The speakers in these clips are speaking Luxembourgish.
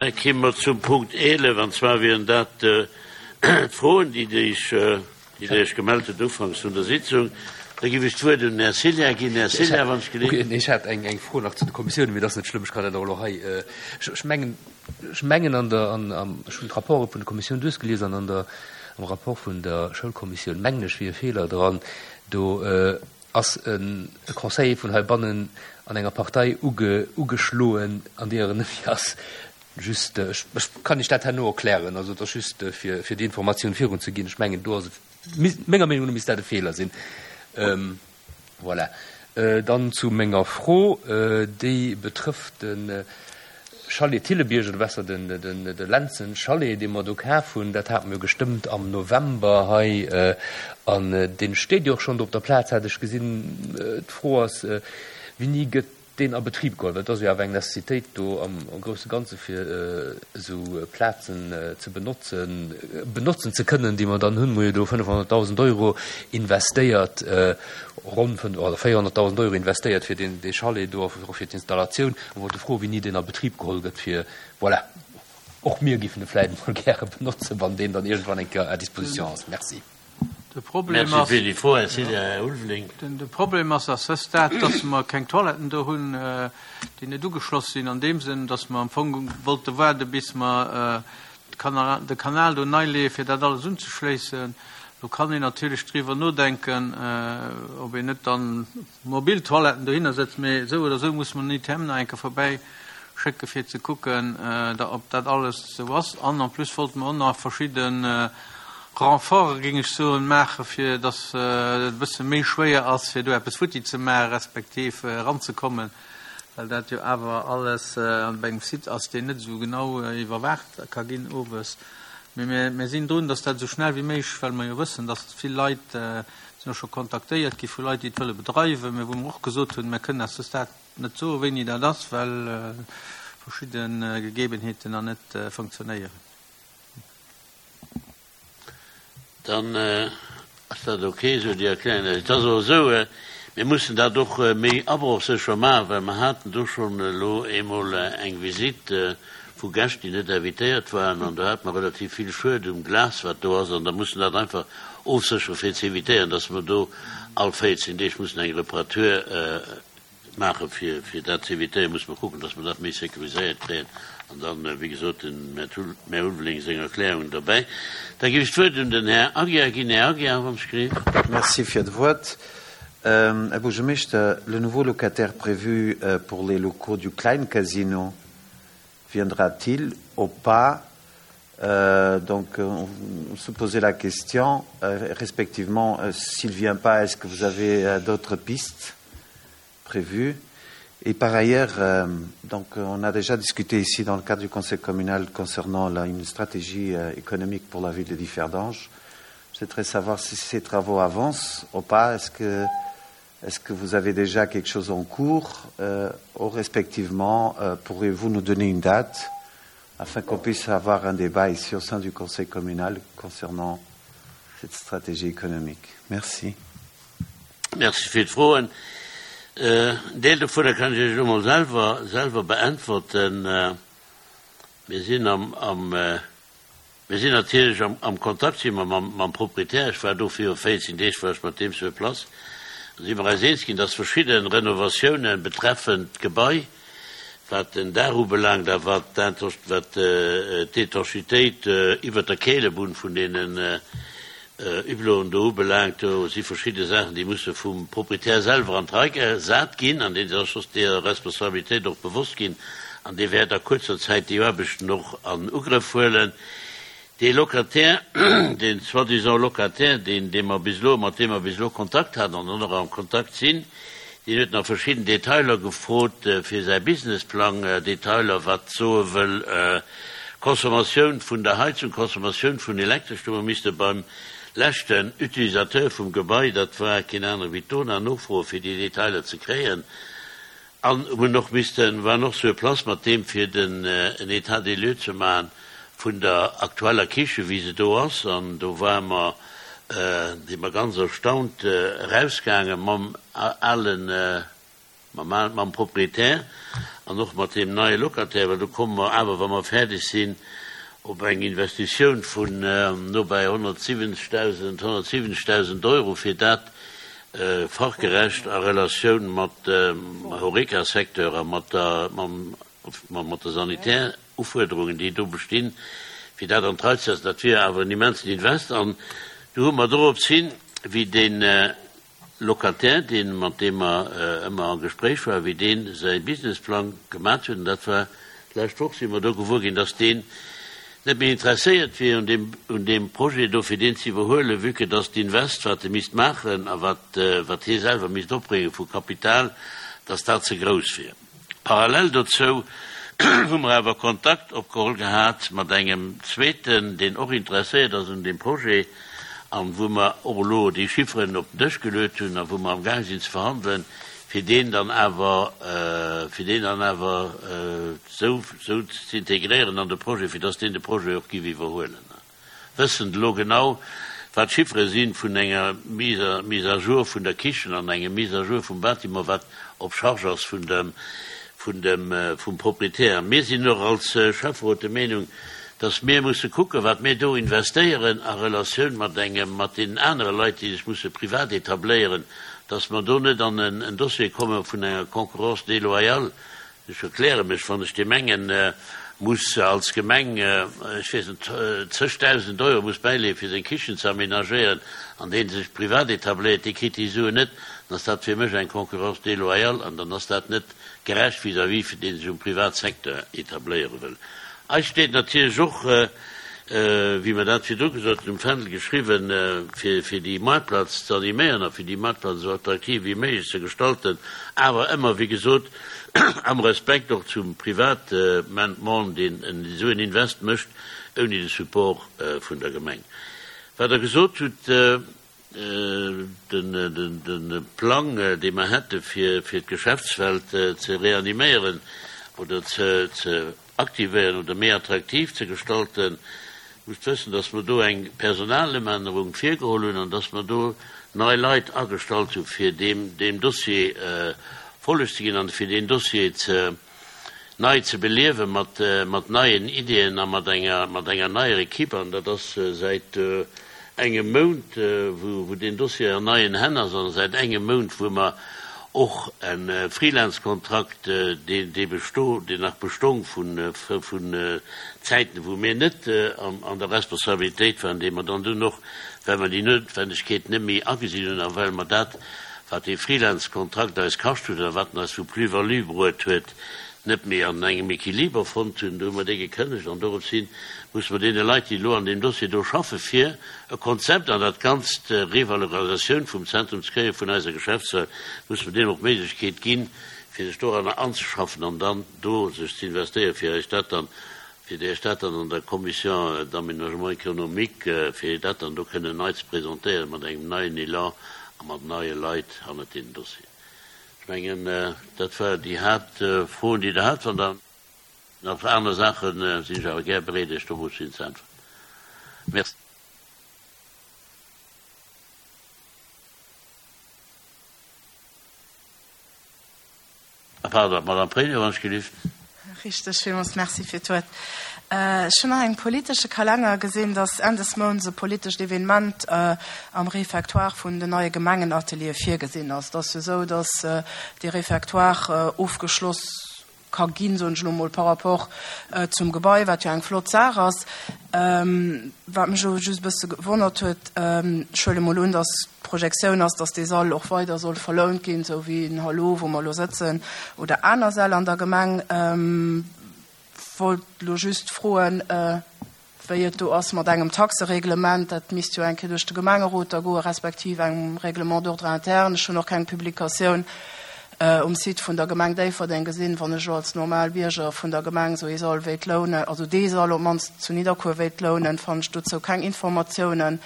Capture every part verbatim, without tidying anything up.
Da kéime mer zum Punkt eelef, an zwar wieren dat d'Froen, déi Dir Iech, déi Dir Iech gemellt hutt ufanks vun der Sitzung. Da géif ech d'Wuert un den Här Cillien ginn. Här Cillien, wann ech geleeën. Okay, ech hat eng, eng Fro nach zu de Kommissiounen, mee dat ass net schlëmm, ech kann dat och elo hei. Ech, ech mengen, ech mengen an der, an, am, ech hunn d'Rapporte vun de Kommissioun duerchgelies an an der, am Rapport vun der Schoulkommissioun mengen ech wier e Feeler dran. Do ass e Conseiller vun heibannen an enger Partei uge, ugeschloen, an deeër en net méi ass. Just, ech, ech kann Iech dat herno erklären, also et ass just fir, fir déi Informatioun virunzeginn. Ech mengen, do ass et, menger Meenung no misst dat e Feeler sinn. Voilà. Dann zu menger Fro, déi betrëfft de Chalet Thillebierg, oder besser den, den, de Lentzen Chalet, dee mer do kaf hunn. Dat hate mer jo gestëmmt am November hei, an dee steet jo och schonn do op der Plaz, hat ech gesinn. D'Fro ass, Wéini gëtt deen a Betrib geholl, well et ass jo awer eng Necessitéit do am grousse Ganze fir esou Plazen ze benotzen, benotzen ze kënnen, déi mer dann hunn. Mer hu jo do fënnefhonnertdausend Euro investéiert, ronn fënnf oder véierhonnertdausend Euro investéiert fir deen, dee Chalet do a och fir d'Installatioun. A wollte froen, wéini deen a Betrib geholl gëtt, fir, voilà, och mir géifen e vläicht emol gäre benotzen, wann deen dann iergendwann eng Kéier à disposition ass. Merci. De Problem ass, de Problem ass à ce stade, dass mer keng Toiletten do hunn, déi net ugeschloss sinn, an deem Sënn, dass mer am Fong wollte waarde bis mer de Kanal do nei leeë fir dat alles unzeschléissen. Lo kann een natierlech driwwer nodenken, ob een net dann mobil Toiletten dohinner setzt, mee esou oder esou muss mer den I T M nach eng Kéier verbäi schécke fir ze kucken, ob dat alles esou ass. An en plus wollte mer och nach verschidde Renforte, géing ech soen, maachen, fir dass et e bësse méi schwéier ass, fir do eppes futti ze maachen, respektiv eranzekommen, well dat jo awer alles bei engem Site ass, deen net esou genau iwwerwaacht ka ginn owes. Mee mir, mir sinn drun, dass dat esou schnell wéi méiglech, well mer jo wëssen, dass vill Leit, sinn och scho kontaktéiert gi vu Leit, déi et wëlle bedreiwen, mä wou mer och gesot hunn, mir kënnen à ce stade net soen, wéini dat ass, well verschidde Gegebenheeten nach net funktionéieren. Dann ass dat ok esou, déi Erklärung. Et ass och esou, mir mussen dat och méi abrochsécher maachen, well mer haten do schonn elo eemol eng Visitt vu Gäscht, déi net invitéiert waren, an do hate mer relativ vill Schued um Glas, wat do ass, an da mussen dat einfach ofséchere fir ze évitéieren, dass mer do all véierzehn Deeg mussen eng Reparatur maachen. Fir, fir dat ze évitéieren, musse mer kucken, dass mer dat méi sécuriséiert kréien. An dann, wéi gesot, den Här Ulveling seng Erklärungen derbäi. Da ginn ech d'Wuert un den Här Aguiar ginn. Här Aguiar, wann ech gleef. Merci fir d'Wuert. Här Buergermeeschter, le nouveau locataire prévu pour les locaux du Klein Casino viendra-t-il ou pas? Donc, on se posait la question, respectivement, s'il vient pas, est-ce que vous avez d'autres pistes prévues? Et par ailleurs, euh, donc, on a déjà discuté ici dans le cadre du conseil communal concernant la, une stratégie euh, économique pour la ville de Differdange. Je souhaiterais savoir si ces travaux avancent ou pas. Est-ce que, est-ce que vous avez déjà quelque chose en cours euh, ou respectivement, euh, pourriez-vous nous donner une date afin qu'on puisse avoir un débat ici au sein du conseil communal concernant cette stratégie économique? Merci. Merci fir d'Froen. Een Deel dovunner kann ech Iech elo mol selwer, selwer beäntwerten. Mir sinn am, am, mir sinn natierlech am, am Kontakt si mer mam, mam Proprietär. Ech war do viru véierzehn Deeg, war ech mat deem sur place. Do si mer eis eens ginn, dass verschidde Renovatiounen betreffend d'Gebai, wat den Daach ubelaangt a wat wat d'Étanchéitéit iwwert der Keelebunn vun deenen Hubloten do ubelaangt, do si verschidde Saachen, déi musse vum Proprietär selwer an d'Rei gesat ginn, an dee sech och deeër Responsabilitéit och bewosst ginn, an dee wäert a kuerzer Zäit déi Aarbechten och an Ugrëff huelen. Dee Locataire, dee soi-disant Locataire, deen, dee mer bis elo, mat deem mer bis elo Kontakt haten an och nach am Kontakt sinn, deen huet nach verschidden Detailer gefrot fir säi Businessplang, Detailer, wat soe wëll, Consommatioun vun der Heizung, Consommatioun vun Elektresch. Do hu mer misste beim leschten Utilisateur vum Gebai, dat war keen anere wéi d'Dona, nofroe fir déi Detailer ze kréien. An hunn och missten, waren och sur place mat deem fir den en État des lieux ze maachen vun der aktueller Kiche wéi se do ass. An do ware mer, si mer ganz erstaunt erausgaange mam alen, mam, mam Proprietär. an och mat deem neie Locataire, well do komme mer awer, wa mer fäerdeg sinn, op eng Investitioun vun no bei honnertsiwwenzegdausend, honnertsiwwenzegdausend Euro, fir dat fachgerecht a Relatioun mat dem Horeca-Secteur a mat der, mam, mat de Sanitärufuerderungen, déi do bestinn, fir dat an d'Rei ze setzen. Dat wier awer en immensen Invest. An du hu mer dorops hin, wéi dee Locataire, deen, mat deem mer ëmmer a Gespréich waren, wéi dee säi Businessplang gemat huet, an dat war d'lescht Woch, si mer do gewuer ginn, dass deen net méi interesséiert wier un deem, un deem Projet do, fir deen ze iwwerhuelen, vue que dass d'Invest, wat e misst maachen a wat, wat hie selwer misst opbrénge vu Kapital, dass dat ze grouss wier. Parallel dozou hu mer awer Kontakt opgeholl gehat mat engem zweeten, deen och interesséiert ass un deem Projet an wou mer och elo déi Chifferen op den Dësch geluet hunn a wou mer amgaang sinn ze verhandelen, fir deen dann awer, fir deen dann awer esou, esou ze integréieren an de Projet, fir dass deen de Projet och giff iwwerhuelen. Wëssend elo genau, wat d'Chiffere si vun enger Mise, Mise à jour vun der Kichen an engem Mise à jour vum Bâtiment, wat op Charge ass vun dem, vun dem, vum Proprietär. Mir sinn och als Schäfferot der Meenung, dass mir musse kucken, wat mir do investéieren a Relatioun mat engem, mat deenen anere Leit, déi sech musse privat etabléieren, dass mer do net an en Dossier komme vun enger Concurrence déloyale. Ech erkläre mech, wann ech dee mengen muss als Gemeng, ech weess net, zëgdausend Euro muss bäileeën, fir seng Kichen ze aménagéieren, an deen sech privat etabléiert, dee kritt déi Suen net, dann ass dat fir mech eng Concurrence déloyale an dann ass dat net gerecht vis-à-vis vun deen sech um Privatsecteur etabléiere wëll. Eis steet natierlech och, wéi mer dat virdru gesot hunn, um Fändel geschriwwen, fir fir déi Maartplaz ze animéieren a fir déi Maartplaz esou attraktiv wéi méiglech ze gestalten, awer ëmmer, wéi gesot, am Respekt och zum Privatmann, deen esou en Invest mécht, ouni de Support vun der Gemeng. Wat Der gesot hutt, de Plang, dee mer hätte fir fir d'Geschäftswelt ze reaniméieren oder ze ze aktivéieren oder méi attraktiv ze gestalten, musst wëssen, dass mer do eng Personalëmännerung virgeholl hunn an dass mer do nei Leit agestallt hu fir deem deem Dossier Folleg ze ginn an fir deen Dossier ze nei ze beliewe mat mat neien Ideeën a mat enger mat enger neier Equipe. An dat ass säit engem Mount, wou wou deen Dossier an neien Hänn ass an säit engem Mount, wou mer och e Freelance-Kontrakt, deen dee besto deen nach bestong vun vun Zäiten, wou mir net an der Responsabilitéit waren, dee mer dann dunn och, well mer déi Noutwendegkeet net méi agesinn hunn a well mer dat, wat dee Freelance-Kontrakt eis kascht huet a wat en eis vu Plus-value bruet huet, net méi an engem Equiliber fonnt hunn, do hu mer dee gekënnegt an doropshin musse mer deene Leit, déi elo an deem Dossier do schaffen, fir e Konzept an dat Ganzt, Revalorisatioun vum Zentrum ze kréie vun eiser Geschäftswelt, musse mer deenen och d'Méiglechkeet ginn, fir sech doranner anzeschaffen an dann do sech ze investéieren, fir Iech dat dann, fir Iech dat dann an der Commission d'aménagement économique, fir dat dann do kënnen nei ze presentéieren mat engem neien Elan a mat neie Leit hannert deenen Dossieren. Ech mengen, dat waren déi Haaptfroen, déi Der hat. Wann Der nach aner Saachen, sinn ech awer gär bereet, Iech dorop hin ze äntweren. Merci. Ah, pardon, Madame Pregno, wann ech gelift. Richteg, villmools Merci fir d'Wuert. Ech hunn nach engem politesche Kalenner gesinn, dass Enn des Mounts e politescht Evenement am Réfectoire vun den neie Gemengenateliere virgesinn ass. Et ass jo esou, dass dee Réfectoire ofgeschloss ka ginn, soen ech elo emol, par rapport zum Gebai, wat jo eng flott Saach ass. Wat mech elo just e bësse gewonnert huet, ech huele mol un, dass d'Projektioun ass, dass dee Sall och weider soll verlount ginn, esou wéi den Hallo, wou mer elo sëtzen, oder aner Säll an der Gemeng. Wollt elo just froen, wéi et do ass mat engem Taxereglement. Dat misst jo eng Kéier duerch de Gemengerot da goen, respektiv engem Règlement d'ordre interne. Ech hunn och keng Publikatioun um Site vun der Gemeng Déifferdeng gesinn. Wann ech elo als normal Bierger vun der Gemeng esou ee Sall wéilt lounen, also dee Sall op d'mannst zu Nidderkuer wéilt lounen, fannen ech dozou keng Informatiounen.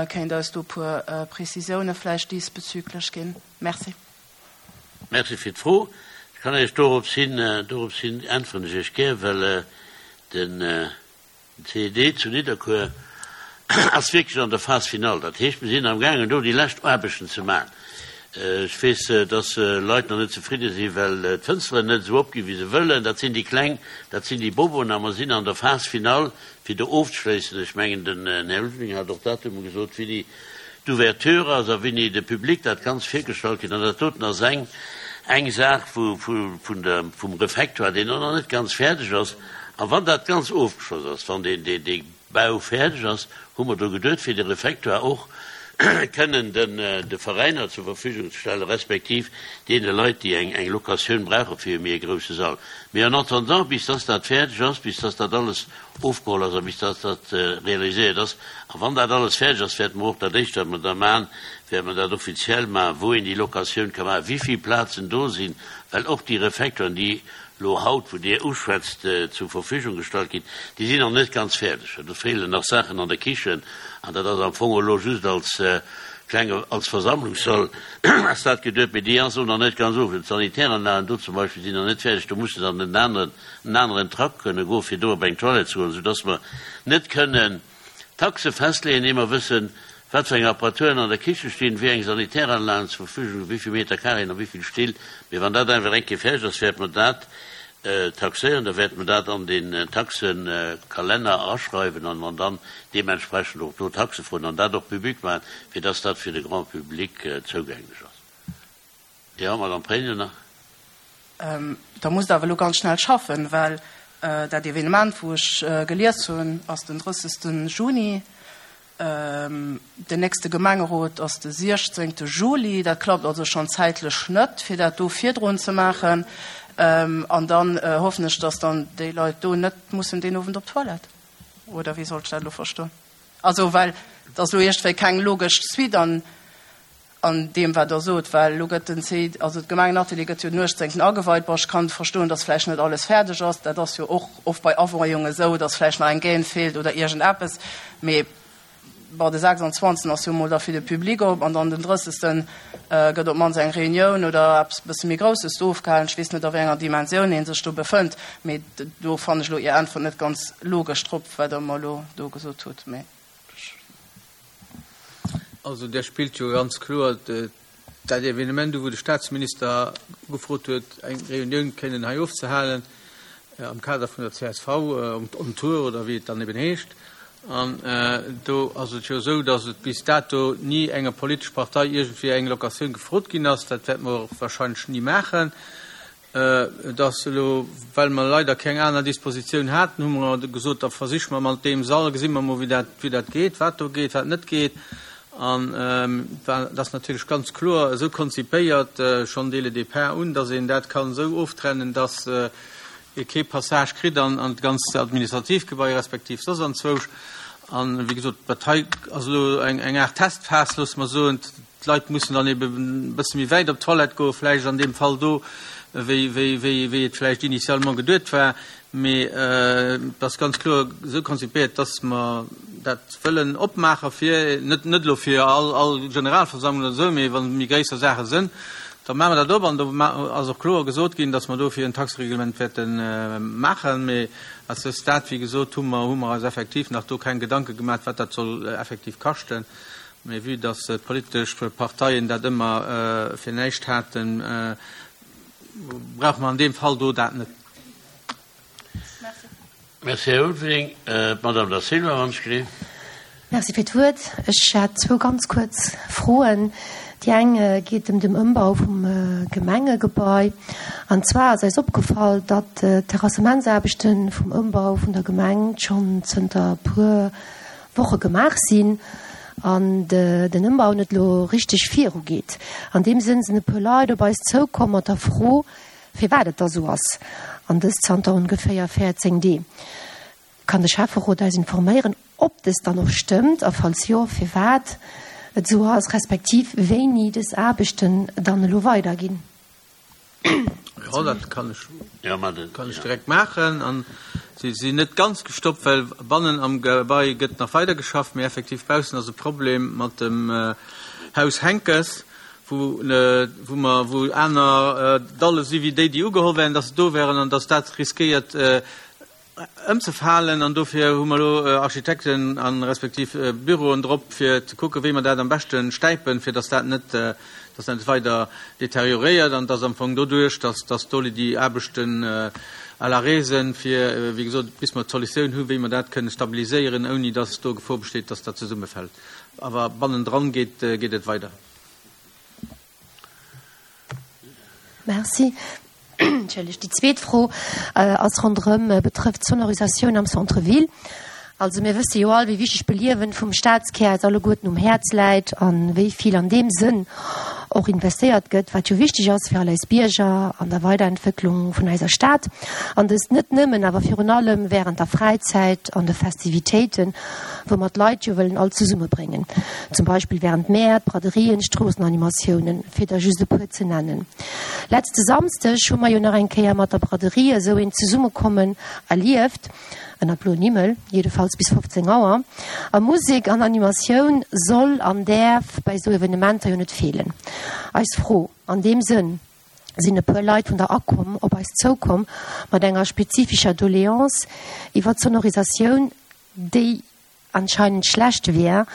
Kéint Der eis do e puer Prezisioune vläicht diesbezüglech ginn? Merci. Merci fir d'Fro. Ech kann Iech dorops hin, dorops hin äntweren ech Iech gär, well den C E D zu Nidderkuer ass wierklech an der Phase finale. Dat heescht, mir sinn amgaangen do déi lescht Aarbechten ze maachen. Ech weess, dass Leit nach net zefridde sinn, well d'Fënsteren net esou opginn, wéi se wëllen. Dat sinn déi kleng, dat sinn déi Boboen. A mer sinn an der Phase finale, fir do ofzeschléissen. Ech mengen, den Här Ulveling hat och Datume gesot, wéini d'Ouverture ass a wéini de Public dat Ganzt virgestallt kritt. An dat doten ass eng, eng Saach vu, vu, vun der, vum Refectoire, deen och nach net ganz fäerdeg ass. A wann dat ganz ofgeschloss ass, wann deen, deen, dee Bau fäerdeg ass, hu mer do geduet, fir de Refectoire och kënnen de Veräiner zur Verfügung ze stellen, respektiv deene Leit, déi eng eng Locatioun brauche fir e méi e grousse Sall. Mee en attendant, bis dass dat fäerdeg ass, bis dass dat alles ofgeholl ass a bis dass dat realiséiert ass, a wann dat alles fäerdeg ass, wäerte mer och dat Éischt, wat mer da maachen, wäerte mer dat offiziell maachen, wou een déi Locatioun ka maachen, wéi vill Plazen do sinn, well och déi Refectoiren, déi elo haut, wou Dir uschwätzt, zur Verfügung gestallt ginn, déi sinn nach net ganz fäerdeg. Do feelen nach Saachen an der Kichen an dat ass am Fong elo just als klenge, als Versammlungssall ass dat geduet, mee déi ass och nach net ganz of. D'Sanitäranlagen do zum Beispill sinn nach net fäerdeg, do muss de dann en aneren, en aneren Trakt kënne goen, fir do op eng Toilette ze goen, soudass mer net kënnen Taxe festleeën, ier mer wëssen, wat fir eng Apparaturen an der Kiche stinn, wéi eng Sanitäranlagen zur Verfügung sinn, wéi vill Meter Carréen a wéi vill Still. Mee wann dat einfach eng Kéier fäerdeg ass, wäerte mer dat taxéieren, da wäerte mer dat an den Taxekalenner aschreiwen an an dann deementsprechend och do Taxe froen an dat och public maachen, fir dass dat fir de Grand public zougänglech ass. Jo, Madame Pregno nach. Da musst Der awer elo ganz schnell schaffen, well dat Evenement, wou ech gelies hunn, ass den drëssegste Juni. Den nächste Gemengerot ass de siechzéngte Juli. Dat klappt also schonn zäitlech net, fir dat do virdrun ze maachen. An dann hoffen ech, dass dann déi Leit do net mussen deen Owend op d'Toilette. Oder wéi soll ech dat elo verstoen? Also, well et ass elo iergendwéi keng logesch Suite an an deem, wat Der sot, well elo gëtt den C, also d'Gemengenatelier gëtt jo den uechtzéngten ageweit. Bon, ech kann verstoen, dass vläicht net alles fäerdeg ass. Dat ass jo och oft bei Aweiungen esou, dass vläicht nach eng Gaine feelt oder iergendeppes. Mee bon, de sechsundzwanzegsten ass jo emol da fir de Public op an dann den drëssegsten gëtt op d'mannst eng Reunioun oder eppes e bësse méi Grousses do ofgehalen. Ech weess net, a wéi enger Dimensioun ee sech do befënnt, mee do fannen ech elo Är Äntwert net ganz logesch drop, wat Der mer elo do gesot hutt. Mee ech. Also där spillt jo ganz kloer dat Evenement u wou de Statsminister ugefrot huet, eng Reunioun kënnen hei ofzehalen am Kader vun der C S V on Tour oder wéi et dann eben heescht. An do ass et jo esou, datt et bis dato ni enger politesch Partei iergendwéi eng Locatioun gefrot ginn ass. Dat wäerte mer och wahrscheinlech ni maachen. Et ass elo, well mer leider keng aner Dispositioun haten, hu mer gesot, da versiche mer mat deem Sall, gesi mer mol, wéi dat, wéi dat geet, wat do geet, wat net geet. An dat ass natierlech ganz kloer esou konzipéiert, schonn dès le départ un, datt een dat kann esou oftrennen, datt ee kee Passage kritt an an d'ganzt administratiivt Gebai respektiv soss anzwousch. An, wéi gesot, dat hei ass elo eng eng Aart Testphas, loosse mer soen. D'Leit mussen dann ebe e bësse méi wäit op d'Toilette goen, vläicht an deem Fall do, wéi wéi wéi wéi et vläicht initialement geduet war. Mee et ass ganz kloer esou konzipéiert, dass mer dat wëllen opmaache fir, net net elo fir all all Generalversammlung oder esou, mee wa méi gréisser Saache sënn, da maache mer dat op. An do ass och kloer gesot ginn, dass mer dofir en Taxereglement wäerte maachen. Mee à ce stade, wéi gesot, hu mer hu mer eis effektiv nach do keng Gedanke gemaach, wat dat soll effektiv kaschten. Mee vue dass d'politesch Parteien dat ëmmer fir näischt haten, brauche mer an deem Fall do dat net. Merci, Här Ulveling. D'Madame Da Silva, wann ech gleef. Merci fir d'Wuert. Ech hätt zwou ganz kuerz Froen. Déi eng geet ëm den Ëmbau vum Gemengegebai. An zwar ass eis opgefall, datt d'Terrassementsaarbechte vum Ëmbau vun der Gemeng schonn zënter e puer Woche gemaach sinn an den Ëmbau net elo richteg virugeet. An deem Sënn sinn e puer Leit op eis zoukomm mat der Fro, firwat et da sou ass, an dëst zanter ongeféier véierzéng Dee. Kann de Schäfferot eis informéieren, ob dëst dann och stëmmt a falls jo, firwat et sou ass, respektiv wéini dës Aarbechten dann elo weiderginn? Jo, dat kann ech, kann ech direkt maachen. An si sinn net ganz gestoppt, well bannen am Gebai gëtt nach weider geschafft, mee effektiv baussen ass e Problem mat dem Haus Henckes, wou, wou mer, wou aner Dalle si wéi déi, déi ugeholl wären, dass se do wären an dass dat riskéiert, ëmzefalen an dofir hu mer elo Architekten a respektiv Büroen drop, fir ze kucken, wéi mer dat am beschte stäipen, fir dass dat net, dass dat net weider deterioréiert an dass am Fong doduerch, dass, dass do déi Aarbechten à l'arrêt sinn, fir, wéi gesot, bis mer d'Solutioun hu wéi mer dat kënne stabiliséieren, ouni dass do Gefor besteet, dass dat zesummefält. Awer bannendran geet, geet et weider. Merci. Entschëllegt. Déi zweet Fro ass ronderëm, betrëfft d'Sonorisatioun am Centre ville. Also mir wësse jo all, wéi wichteg d'Beliewen vum Stadskär eis alleguerten um Häerz läit a wéi vill an deem Sënn och investéiert gëtt, wat jo wichteg ass fir all eis Bierger an der Weiderentwécklung vun eiser Stad. An dëst net nëmmen, awer virun allem während der Fräizäit an de Festivitéiten, wou mer d'Leit jo wëllen all zesummebréngen, zum Beispill während Mäert, Braderien, Stroossenanimatiounen, fir der just e puer ze nennen. Letzte Samsdeg hu mer jo nach eng Kéier mat der Braderie esou een Zesummekommen erlieft, ënner bloen Himmel, jiddefalls bis fofzéng Auer. A Musek an Animatioun soll an däerf bei esou Evenementer jo net feelen. Eis Fro an deem Sënn, sinn e puer Leit vun der ACOM op eis zoukomm mat enger spezifischer Doléance iwwer d'Sonorisatioun, déi anscheinend schlecht wier,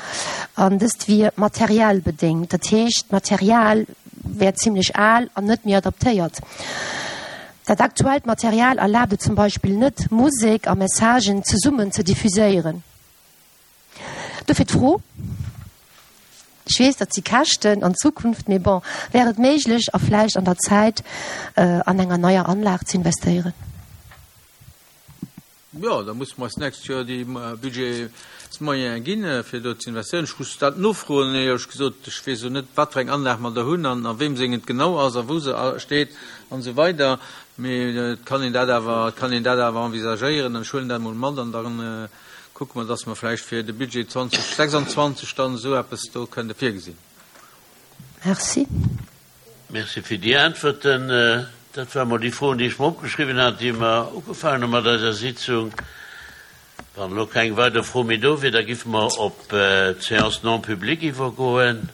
an dëst wier materiell bedéngt, dat heescht d'Material wär zimlech al an net méi adaptéiert. Dat aktuellt Material erlaabt et zum Beispill net, Musek a Messagen zesummen ze diffuséieren. Dofir d'Fro, Ech weess, dat si Käschten an Zukunft, mee bon, wär et méiglech a vläicht an der Zäit an enger neier Anlag ze investéieren? Jo, da musse mer eis d'nächst Joer déi Budgetsmoyene ginn, fir do ze investéieren. Ech muss dat nofroen, éierlech gesot. Ech weess elo net, wat fir eng Anlag mer do hunn an a weem seng et genau ass a wou se steet an esou weider. Mee et kann een dat awer, et kann een dat awer envisagéieren an ech huelen dat emol mat an da kucke mer, dass mer vläicht fir de Budget zweitausendsechsundzwanzig dann esou eppes do kënnte virgesinn. Merci. Merci fir déi Äntwerten. Dat ware mol déi Froen, déi ech mer opgeschriwwen hat, déi mer ugefaangen hu mat eiser Sitzung. Wann elo keng weider Fro méi do wier, da giffe mer op d'Séance non publique iwwergoen.